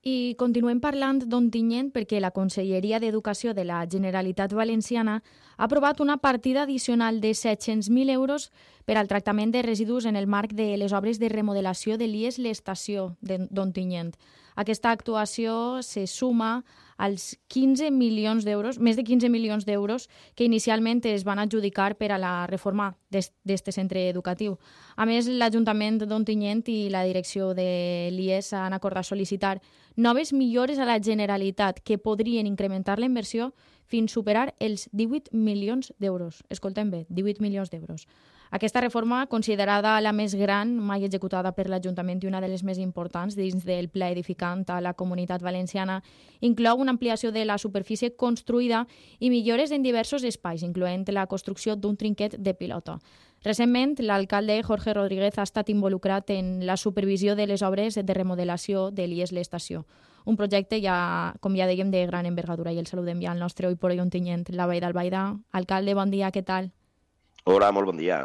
I continuem parlant d'Ontinyent perquè la Conselleria d'Educació de la Generalitat Valenciana ha aprovat una partida addicional de 700.000 euros per al tractament de residus en el marc de les obres de remodelació de l'IES l'Estació d'Ontinyent. Aquesta actuació se suma als 15 milions d'euros, més de 15 milions d'euros que inicialment es van adjudicar per a la reforma d'este centre educatiu. A més, l'Ajuntament d'Ontinyent i la direcció de l'IES han acordat sol·licitar noves millores a la Generalitat que podrien incrementar la inversió fins superar els 18 milions d'euros. Escoltem bé, 18 milions d'euros. Aquesta reforma, considerada la més gran mai executada per l'Ajuntament i una de les més importants dins del pla edificant a la Comunitat Valenciana, inclou una ampliació de la superfície construïda i millores en diversos espais, incloent la construcció d'un trinquet de pilota. Recentment, l'alcalde Jorge Rodríguez ha estat involucrat en la supervisió de les obres de remodelació de l'IES l'Estació. Un projecte, com ja dèiem, de gran envergadura, i el saludem ja al nostre Oi por Hoy Ontinyent, la Vall d'Albaida. Alcalde, bon dia, què tal? Hola, molt bon dia.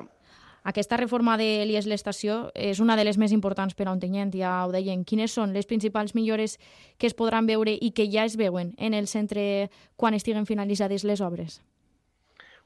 Aquesta reforma de l'IES l'Estació és una de les més importants per a Ontinyent, ja ho deien. Quines són les principals millores que es podran veure i que ja es veuen en el centre quan estiguen finalitzades les obres?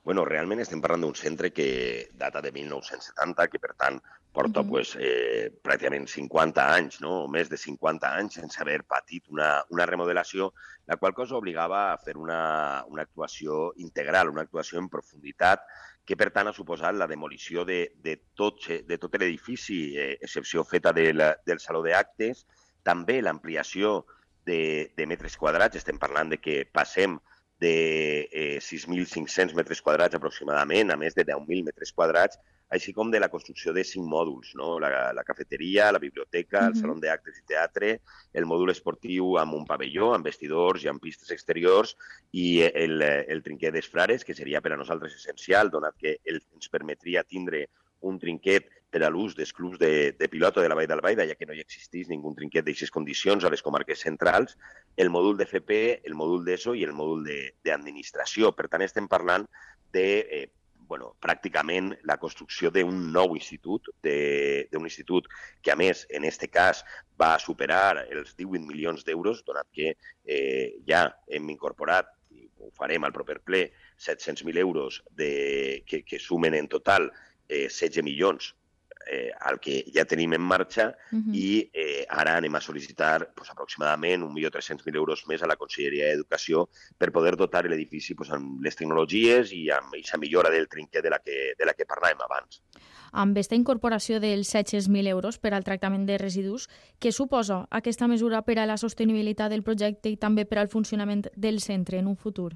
Bueno, realment estem parlant d'un centre que data de 1970, que per tant porta pràcticament 50 anys, no? O més de 50 anys sense haver patit una remodelació, la qual cosa obligava a fer una actuació integral, una actuació en profunditat, que per tant ha suposat la demolició de tot l'edifici, excepció feta del Saló d'Actes, també l'ampliació de metres quadrats. Estem parlant de que passem de 6.500 metres quadrats aproximadament a més de 10.000 metres quadrats, així com de la construcció de 5 mòduls, no? La cafeteria, la biblioteca, el saló d'actes i teatre, el mòdul esportiu amb un pavelló, amb vestidors i amb pistes exteriors, i el trinquet dels Frares, que seria per a nosaltres essencial, donat que ens permetria tindre un trinquet per a l'ús dels clubs de pilota de la Vall d'Albaida, ja que no hi existís ningú trinquet d'aixes condicions a les comarques centrals, el mòdul d'FP, el mòdul d'ESO i el mòdul d'administració. Per tant, estem parlant de pràcticament la construcció d'un nou institut, d'un institut que, a més, en aquest cas, va superar els 18 milions d'euros, donat que ja hem incorporat, i ho farem al proper ple, 700.000 euros que sumen en total 16 milions al que ja tenim en marxa, i ara anem a sol·licitar aproximadament 1.300.000 euros més a la Conselleria d'Educació per poder dotar l'edifici amb les tecnologies i amb aquesta millora del trinquet de la que parlàvem abans. Amb aquesta incorporació dels 700.000 euros per al tractament de residus, què suposa aquesta mesura per a la sostenibilitat del projecte i també per al funcionament del centre en un futur?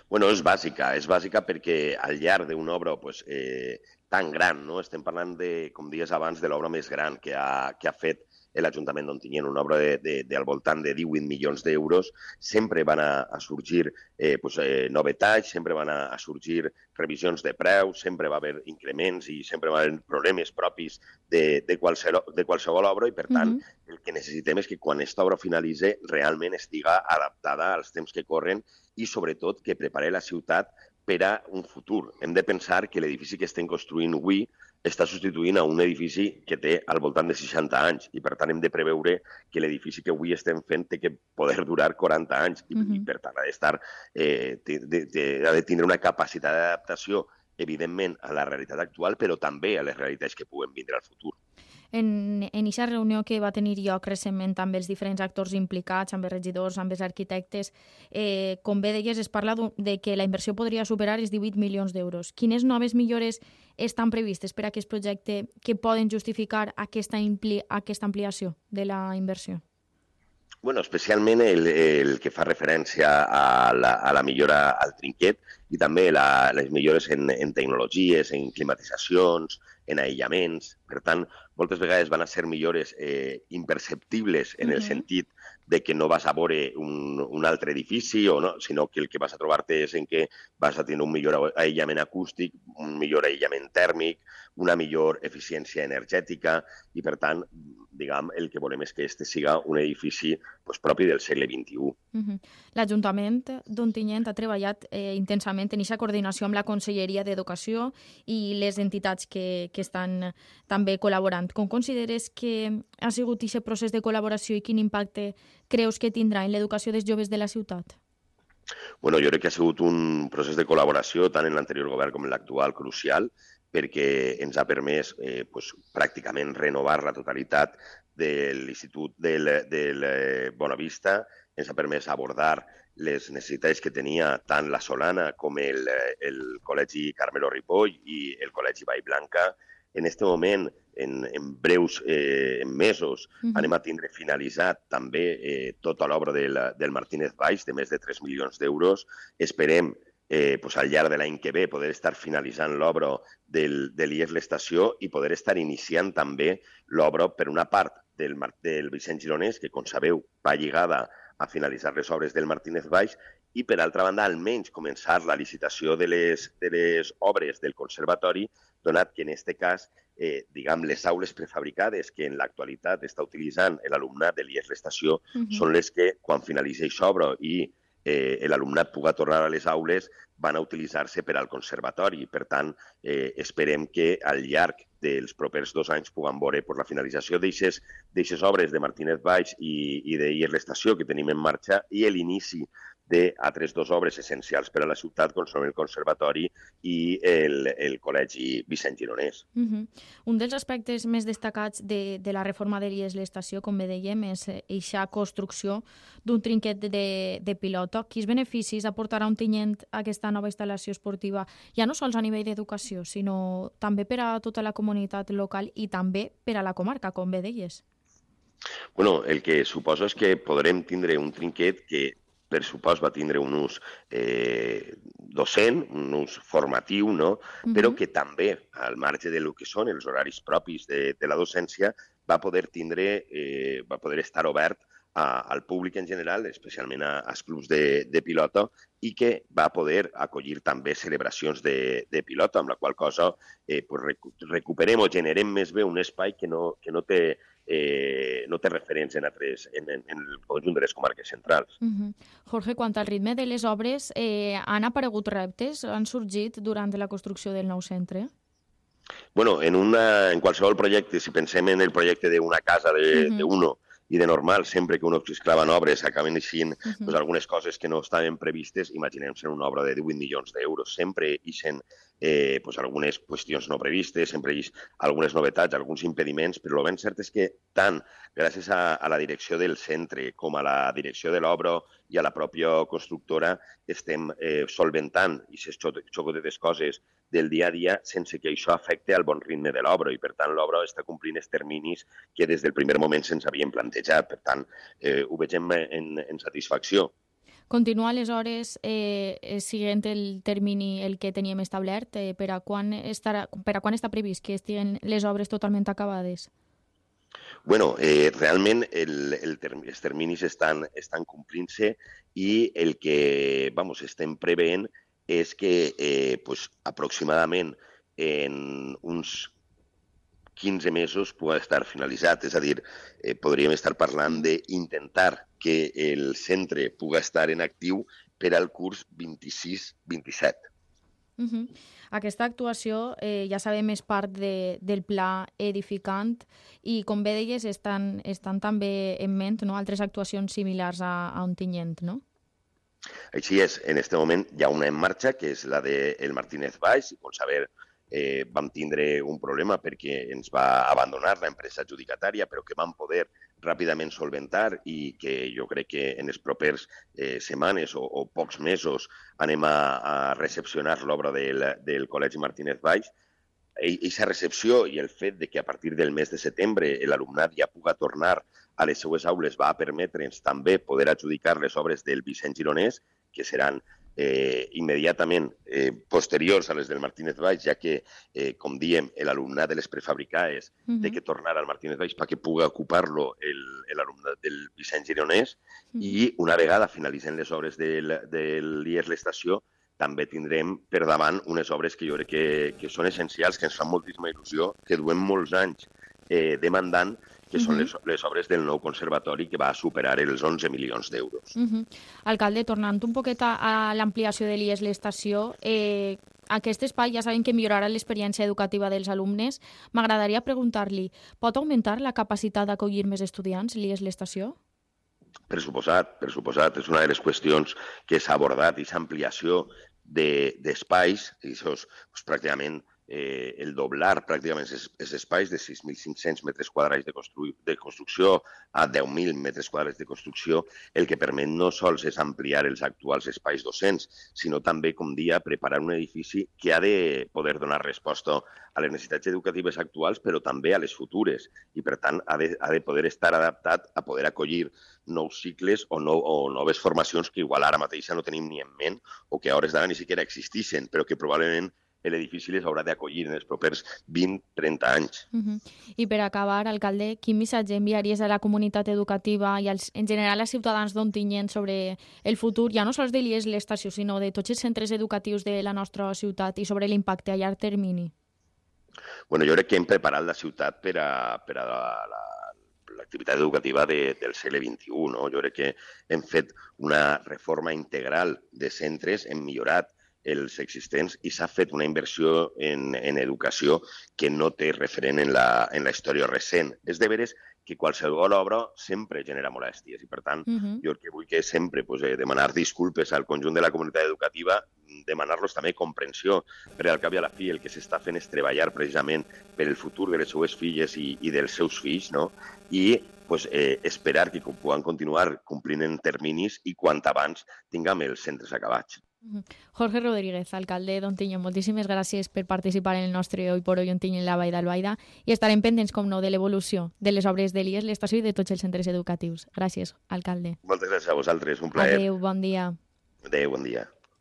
Bueno, és bàsica perquè al llarg d'una obra tan gran, no? Estem parlant com deies abans, de l'obra més gran que ha fet l'Ajuntament d'Ontinyent, una obra al voltant de 18 milions d'euros. Sempre van a sorgir novetats, sempre van a sorgir revisions de preus, sempre va haver increments i sempre va haver problemes propis de qualsevol obra, i per tant el que necessitem és que quan aquesta obra finalitzi realment estiga adaptada als temps que corren i sobretot que prepari la ciutat per a un futur. Hem de pensar que l'edifici que estem construint avui està substituint a un edifici que té al voltant de 60 anys, i per tant hem de preveure que l'edifici que avui estem fent té que poder durar 40 anys i per tant ha de tindre una capacitat d'adaptació, evidentment, a la realitat actual, però també a les realitats que puguen vindre al futur. En aquesta reunió que va tenir lloc recentment amb els diferents actors implicats, amb els regidors, amb els arquitectes, com bé deies, es parla de que la inversió podria superar els 18 milions d'euros. Quines noves millores estan previstes per a aquest projecte que poden justificar aquesta ampliació de la inversió? Bueno, especialment el que fa referència a la millora al trinquet i també les millores en tecnologies, en climatitzacions, en aïllaments. Per tant, moltes vegades van a ser millores imperceptibles en el sentit de que no vas a veure un altre edifici, sinó que el que vas a trobar-te és en què vas a tenir un millor aïllament acústic, un millor aïllament tèrmic, una millor eficiència energètica i, per tant, diguem, el que volem és que este siga un edifici propi del segle XXI. L'Ajuntament d'Ontinyent ha treballat intensament en aquesta coordinació amb la Conselleria d'Educació i les entitats que estan també col·laborant. Com consideres que ha sigut aquest procés de col·laboració i quin impacte creus que tindrà en l'educació dels joves de la ciutat? Bueno, jo crec que ha sigut un procés de col·laboració tant en l'anterior govern com en l'actual crucial, perquè ens ha permès pràcticament renovar la totalitat de l'Institut del Bonavista, ens ha permès abordar les necessitats que tenia tant la Solana com el Col·legi Carmelo Ripoll i el Col·legi Vallblanca. En aquest moment, en breus mesos, anem a tindre finalitzat també tota l'obra del Martínez Valls, de més de 3 milions d'euros. Esperem al llarg de l'any que ve poder estar finalitzant l'obra de l'IES l'Estació i poder estar iniciant també l'obra, per una part, del Vicent Gironès, que, com sabeu, va lligada a finalitzar les obres del Martínez Valls, i, per altra banda, almenys començar la licitació de les obres del conservatori, donat que, en aquest cas, les aules prefabricades que en l'actualitat està utilitzant l'alumnat de l'IES l'Estació són les que, quan finalitzeix l'obra i l'alumnat pugui tornar a les aules, van a utilitzar-se per al conservatori. Per tant, esperem que al llarg dels propers 2 anys puguem veure la finalització d'aquestes obres de Martínez Valls i d'IES l'Estació que tenim en marxa i l'inici d'altres 2 obres essencials per a la ciutat, com són el Conservatori i el Col·legi Vicent Gironès. Un dels aspectes més destacats de la reforma de l'IES l'Estació, com bé dèiem, és aquesta construcció d'un trinquet de pilota. Quins beneficis aportarà Ontinyent aquesta nova instal·lació esportiva, ja no sols a nivell d'educació, sinó també per a tota la comunitat local i també per a la comarca, com bé deies? Bueno, el que suposo és que podrem tindre un trinquet que per supost va tindre un ús docent, un ús formatiu, no? Però que també, al marge del que són els horaris propis de la docència, va poder estar obert al públic en general, especialment als clubs de pilota, i que va poder acollir també celebracions de pilota, amb la qual cosa recuperem o generem més bé un espai que no té referents en el conjunt de les comarques centrals. Jorge, quant al ritme de les obres, han aparegut reptes? Han sorgit durant la construcció del nou centre? Bueno, en qualsevol projecte, si pensem en el projecte d'una casa d'uno i de normal, sempre que uno exclaven obres acaben eixint algunes coses que no estaven previstes, imaginem-se una obra de 18 milions d'euros. Sempre eixen algunes qüestions no previstes, sempre eixen algunes novetats, alguns impediments, però el ben cert és que tant gràcies a la direcció del centre com a la direcció de l'obra i a la pròpia constructora estem solventant aquestes xocotetes coses del dia a dia sense que això afecti al bon ritme de l'obra i, per tant, l'obra està complint els terminis que des del primer moment se'ns havien plantejat. Per tant, ho vegem en satisfacció. Continua aleshores siguent el termini el que teníem establert? Per a quan està previst que estiguin les obres totalment acabades? Bueno, realment els terminis estan complint-se i el que estem preveient és que aproximadament en uns 15 mesos pugui estar finalitzat. És a dir, podríem estar parlant d'intentar que el centre pugui estar en actiu per al curs 26-27. Aquesta actuació, ja sabem, és part del pla edificant i, com bé deies, estan també en ment altres actuacions similars a Ontinyent, no? Així és, en aquest moment hi ha una en marxa, que és la del Martínez Valls, i com sabeu vam tindre un problema perquè ens va abandonar l'empresa adjudicatària, però que vam poder ràpidament solventar i que jo crec que en les properes setmanes o pocs mesos anem a recepcionar l'obra del Col·legi Martínez Valls. Aquesta recepció i el fet de que a partir del mes de setembre l'alumnat ja pugui tornar a les seues aules va permetre'ns també poder adjudicar les obres del Vicent Gironès, que seran immediatament posteriors a les del Martínez Valls, ja que, com diem, l'alumnat de les prefabricades té que tornar al Martínez Valls perquè pugui ocupar-lo l'alumnat del Vicent Gironès i una vegada finalitzen les obres de l'IES l'Estació també tindrem per davant unes obres que jo crec que són essencials, que ens fan moltíssima il·lusió, que duem molts anys demandant, que són les obres del nou conservatori, que va superar els 11 milions d'euros. Alcalde, tornant un poquet a l'ampliació de l'IES l'estació, aquest espai ja sabem que millorarà l'experiència educativa dels alumnes. M'agradaria preguntar-li, pot augmentar la capacitat d'acollir més estudiants l'IES l'estació? Per suposat. És una de les qüestions que s'ha abordat, i l'ampliació d'espais, i això és pràcticament el doblar pràcticament els espais de 6.500 metres quadrats de construcció a 10.000 metres quadrats de construcció, el que permet no sols és ampliar els actuals espais docents, sinó també, com dia, preparar un edifici que ha de poder donar resposta a les necessitats educatives actuals, però també a les futures, i per tant ha de poder estar adaptat a poder acollir nous cicles o noves formacions que igual ara mateixa no tenim ni en ment o que a hores d'ara ni siquiera existeixen, però que probablement l'edifici les haurà d'acollir en els propers 20-30 anys. I per acabar, alcalde, quin missatge enviaries a la comunitat educativa i en general als ciutadans d'Ontinyent sobre el futur, ja no sols de l'IES l'estació, sinó de tots els centres educatius de la nostra ciutat i sobre l'impacte a llarg termini? Bueno, jo crec que hem preparat la ciutat per a l'activitat educativa del segle XXI. No? Jo crec que hem fet una reforma integral de centres, hem millorat els existents i s'ha fet una inversió en educació que no té referent en la història recent. És de veres que qualsevol obra sempre genera molèsties i, per tant, jo el que vull que sempre demanar disculpes al conjunt de la comunitat educativa, demanar-los també comprensió, perquè al cap i a la fi el que s'està fent és treballar precisament per el futur de les seues filles i dels seus fills, no? I esperar que puguem continuar complint en terminis i quant abans tinguem els centres acabats. Jorge Rodríguez, alcalde d'Ontinyent, moltíssimes gràcies per participar en el nostre Hoy por Hoy Ontinyent la Vall d'Albaida i estarem pendents, com no, de l'evolució de les obres de l'IES, l'estació i de tots els centres educatius. Gràcies, alcalde. Moltes gràcies a vosaltres, un plaer. Adéu, bon dia. Adéu, bon dia.